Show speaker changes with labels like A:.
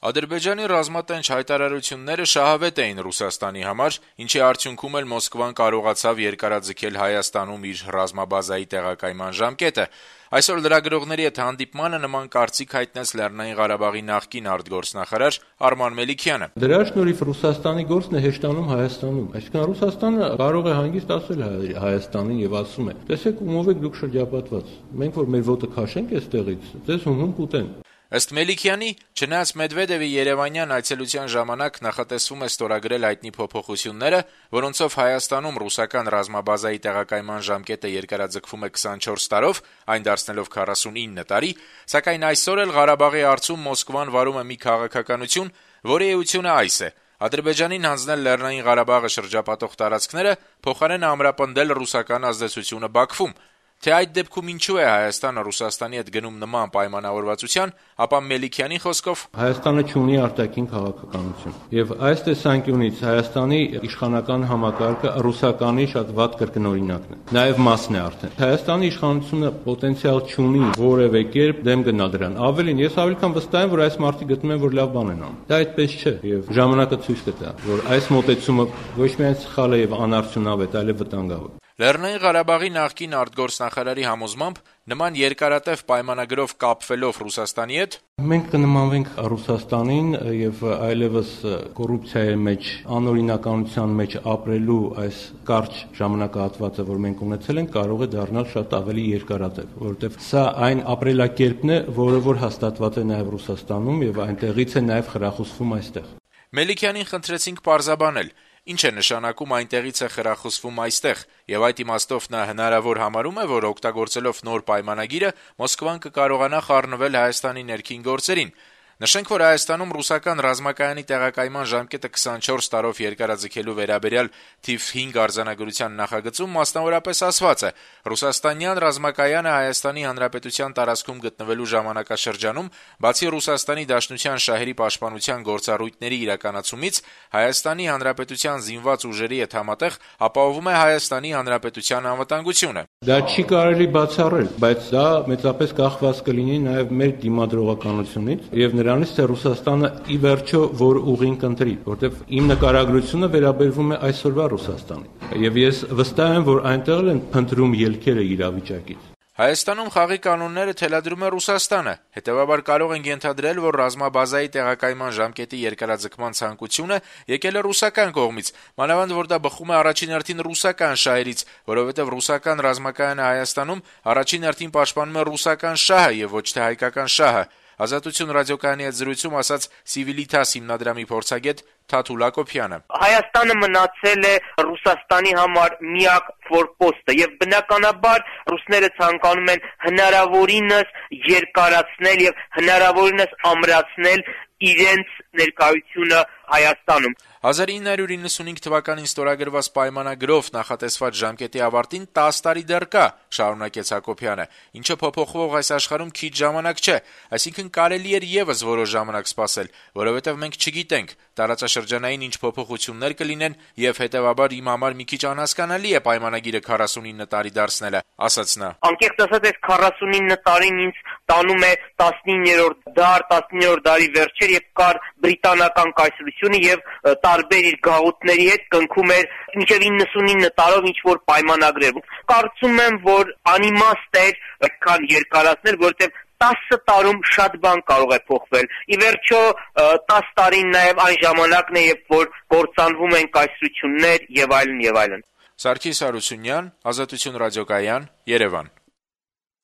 A: Ադրբեջանի ռազմատենչ հայտարարությունները շահավետ էին Ռուսաստանի համար, ինչի արդյունքում էլ Մոսկվան կարողացավ երկարաձգել Հայաստանում իր ռազմաբազայի տեղակայման ժամկետը: Այսօր լրագրողների հետ հանդիպմանը նման կարծիք հայտնեց Լեռնային Ղարաբաղի նախկին արտգործնախարար Արման Մելիքյանը:
B: «Դրա շնորհիվ Ռուսաստանի գործն է հեշտանում Հայաստանում, այսինքն Ռուսաստանը կարող է հանգիստ ասել Հայաստանին եւ ասում է. տեսեք ումով եք դուք շրջապատված, մենք որ մեր ոտը քաշենք այստեղից, ձեզ հում կուտեն»:
A: Ըստ Մելիքյանի, չնայած Մեդվեդեւի երևանյան այցելության ժամանակ նախատեսվում է ստորագրել հայտնի փոփոխությունները, որոնցով Հայաստանում ռուսական ռազմաբազայի տեղակայման ժամկետը երկարաձգվում է 24 տարով, այն դարձնելով 49 տարի, սակայն այսօր էլ Ղարաբաղի հարցում Մոսկվան վարում է մի քաղաքականություն, որի էությունը այս է. Ադրբեջանին հանձնել Լեռնային Ղարաբաղը շրջապատող տարածքները, փոխարենը ամրապնդել ռուսական ազդեցությունը Բաքվում: Թե այդ դեպքում ինչու է Հայաստանը Ռուսաստանի հետ գնում նման պայմանավորվածության, ապա Մելիքյանի խոսքով.
B: Հայաստանը չունի արտաքին քաղաքականություն, եւ այս տեսանկյունից Հայաստանի իշխանական համակարգը ռուսականի շատ վատ կրկնօրինակն է, նաեւ մասն է արդեն: Հայաստանի իշխանությունը պոտենցիալ չունի որեւէ կերպ դեմ գնալ դրան, ավելին, ես ավելի քան վստահ եմ, որ այս մարդիկ գտնում են, որ լավ բան են անում: Դա այդպես չէ, եւ ժամանակը ցույց կտա, որ այս մոտեցումը ոչ միայն սխալ է եւ անարդյունավետ, այլեւ վտանգավոր:
A: Լեռնային Ղարաբաղի նախկին արտգործնախարարի համոզմամբ, նման երկարատեւ պայմանագրով կապվելով Ռուսաստանի հետ,
B: մենք կնմանվենք Ռուսաստանին եւ այլեւս կոռուպցիայի մեջ, անօրինականության մեջ ապրելու այս կարճ ժամանակահատվածը, որ մենք ունեցել ենք, կարող է դառնալ շատ ավելի երկարատեւ, որովհետեւ սա այն ապրելակերպն է, որը որ հաստատված է նաեւ Ռուսաստանում եւ այնտեղից է նաեւ խրախուսվում այստեղ:
A: Մելիքյանին խնդրեցինք պարզաբանել, ինչ է նշանակում այնտեղից է խրախուսվում այստեղ, եւ այդ իմաստով նա հնարավոր համարում է, որ օգտագործելով նոր պայմանագիրը Մոսկվան կկարողանա խառնվել Հայաստանի ներքին գործերին: Նշենք, որ Հայաստանում ռուսական ռազմակայանի տեղակայման ժամկետը 24 տարով երկարաձգելու վերաբերյալ թիվ 5 արձանագրության նախագծում մասնավորապես ասված է. Ռուսաստանյան ռազմակայանը Հայաստանի Հանրապետության տարածքում գտնվելու ժամանակաշրջանում, բացի Ռուսաստանի Դաշնության շահերի պաշտպանության գործառույթների իրականացումից, Հայաստանի Հանրապետության զինված ուժերի հետ համատեղ ապահովում է Հայաստանի Հանրապետության անվտանգությունը:
B: Դա չի կարելի բացառել, բայց դա մեծապես կախված կլինի նաեւ մեր դիմադրողականությունից եւ նրանից, թե Ռուսաստանը ի վերջո որ ուղին կընտրի, որտեւ իմ նկարագրությունը վերաբերվում է այսօրվա Ռուսաստանին եւ ես վստահ եմ, որ այնտեղ են փնտրում ելքերը իրավիճակից:
A: Հայաստանում խաղի կանոնները թելադրում է Ռուսաստանը, հետեւաբար կարող ենք ենթադրել, որ ռազմաբազայի տեղակայման ժամկետի երկարաձգման ցանկությունը եկել է ռուսական կողմից, մանավանդ որ դա բխում է առաջին հերթին ռուսական շահերից, որովհետեւ ռուսական ռազմակայանը Հայաստանում առաջին հերթին պաշտպանում է ռուսական շահը եւ ոչ թե հայկական շահը: «Ազատություն» ռադիոկայանի հետ զրույցում ասաց Civitas հիմնադրամի փորձագետ Թաթուլ Հակոբյանը.
C: Հայաստանը մնացել է Ռուսաստանի համար միակ ֆորպոստը եւ բնականաբար ռուսները ցանկանում են հնարավորինս երկարացնել եւ հնարավորինս ամրացնել իրենց ներկայությունը Հայաստանում:
A: 1995 թվականին ստորագրված պայմանագրով նախատեսված ժամկետի ավարտին 10 տարի դեռ կա, շարունակեց Հակոբյանը, ինչը փոփոխվող այս աշխարհում քիչ ժամանակ չէ, այսինքն կարելի էր եւս որոշ ժամանակ սպասել, որովհետեւ մենք չգիտենք տարածաշրջանային ինչ փոփոխություններ կլինեն եւ հետեւաբար իմ համար մի քիչ անհասկանալի է պայմանագիրը 49 տարի դարձնելը, ասաց նա:
C: Անկեղծ ասած, այս 49 տարին ինձ տանում է 19-րդ դար, 19-րդ դարի վերջեր, երբ կար բրիտանական կայսրությունը եւ տարբեր իր գաղութների հետ կնքում էր մինչեւ 99 տարով ինչ որ պայմանագրեր: Կարծում եմ, որ անիմաստ էր այդքան երկարացնել, որովհետեւ 10 տարում շատ բան կարող է փոխվել: Ի վերջո 10 տարին նաեւ այն ժամանակն է, երբ որ կործանվում են կայսրություններ եւ այլն եւ այլն:
A: Սարգիս Հարությունյան, Ազատություն ռադիոկայան, Երևան: